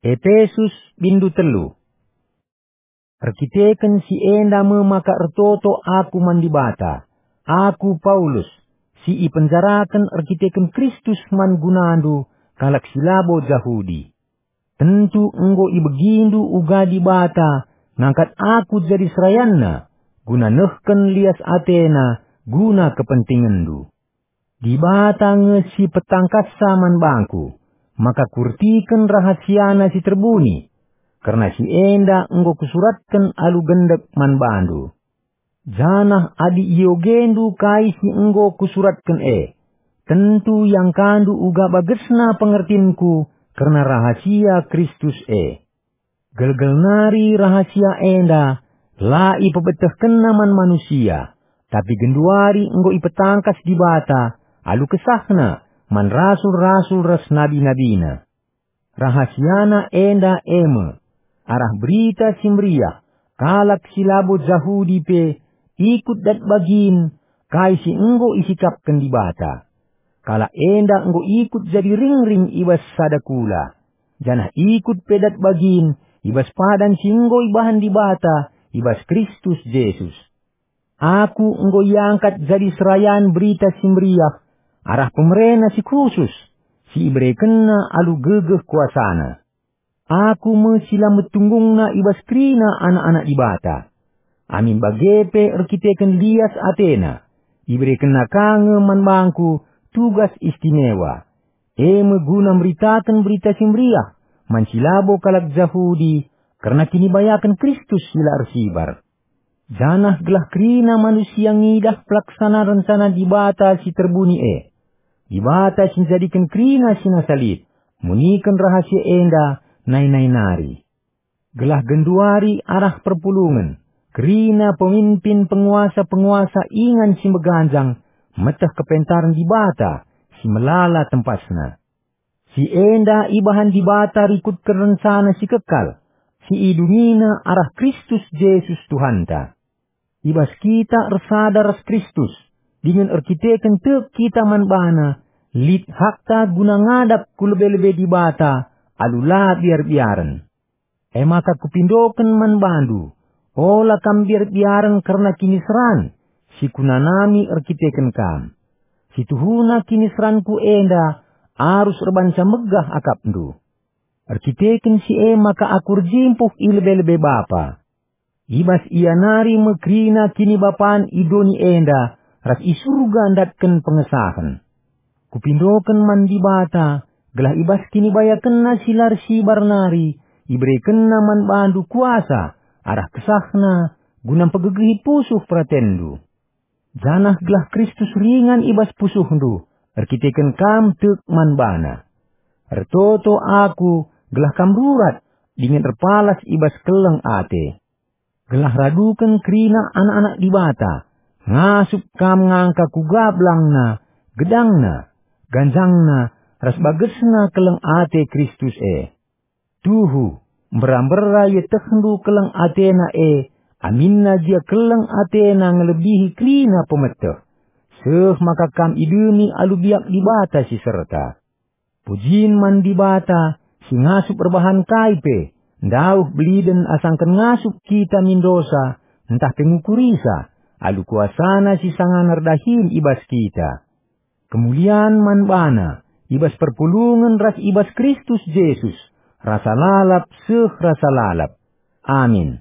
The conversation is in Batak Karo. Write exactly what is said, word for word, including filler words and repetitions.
Epesus, bindu telu. Erkiteken si enda me maka ertoto aku man Dibata, aku Paulus, si ipenjaraken erkiteken Kristus man gunandu, kalak si labo Jahudi. Tentu enggo ibegindu uga Dibata ngangkat aku jadi serayanNa, guna nehken lias ateNa guna kepentingenndu. Dibata nge si petangkassa man bangku, maka kurtiken rahasiana si terbuni, kerna si enda enggo kusuratken alu gendek man bandu. Janah adi iogendu kai si enggo kusuratken e, tentu iangkandu uga bagesna pengertinku kerna rahasia Kristus e. Gelgel nari rahasia enda la ipebetehkenNa man manusia, tapi genduari enggo ipetangkas Dibata alu kesahNa man rasul-rasul ras nabi-nabiNa. Rahasiana enda e me, arah Berita Si Meriah, kalak si labo Jahudi pe ikut dat bagin kai si enggo isikapken Dibata. Kalak enda enggo ikut jadi ringring i bas sada kula, janah ikut pe dat bagin i bas padan si enggo ibahan Dibata i bas Kristus Jesus. Aku enggo iangkat jadi serayan Berita Si Meriah arah pemereNa si khusus, si iberekenNa alu gegeh kuasaNa. Aku me si la metunggungna i bas kerina anak-anak Dibata. Amin bage pe erkiteken lias ateNa, iberekenNa ka nge man bangku tugas istimewa, e me guna meritaken Berita Si Meriah man si labo kalak Jahudi kerna kinibayaken Kristus si la ersibar. Janah gelah kerina manusia ngidah pelaksana rencana Dibata si terbuni e. Dibata si njadiken kerina si nasa lit, muniken rahasia enda nai-nai nari. Gelah genduari arah perpulungen, kerina pemimpin penguasa-penguasa ingan si meganjang meteh kepentaren Dibata si melala tempasna. Si enda ibahan Dibata rikutken rencana si kekal, si idungiNa arah Kristus Jesus Tuhanta. I bas kita ersada ras Kristus, dingen erkiteken tek kita man baNa, lit hakta guna ngadap ku lebe-lebe Dibata alu la biar-biaren. E maka kupindoken man bandu, ola kam biar-biaren kerna kiniseran si kunanami erkiteken kam. Si tuhuna kiniseranku enda arus erbahanca megah akapndu. Erkiteken si e maka aku erjimpuh i lebe-lebe Bapa. I bas Ia nari me kerina kinibapan i doni enda ras i Surga ndatken pengesahen. Kupindoken man Dibata, gelah i bas kinibayakenNa si la ersibar nari, iberekenNa man bandu kuasa arah kesahNa guna mpegegehi pusuh peratenndu. Janah gelah Kristus ringan i bas pusuhndu, erkiteken kam tek man baNa. Ertoto aku gelah kam rurat dingen erpalas i bas keleng ate. Gelah raduken kerina anak-anak Dibata, ngasup kam ngangka kuga belangna, gedangna, ganjangna, ras bagesna keleng ate Kristus e. Tuhu, mbera-mbera ietehndu keleng atena e, aminna gia keleng atena ngelebihi kerina pemeteh, seh maka kam idemi alu biak Dibata si serta. Pujin man Dibata, si ngasup erbahan kai pe, ndauh beliden asangken ngasup kita min dosa, ntah pe ngukurisa, alu kuasaNa si sangana erdahin i bas kita. Kemulian man baNa, i bas perpulungen ras i bas Kristus Jesus, rasa lalap seh rasa lalap. Amin.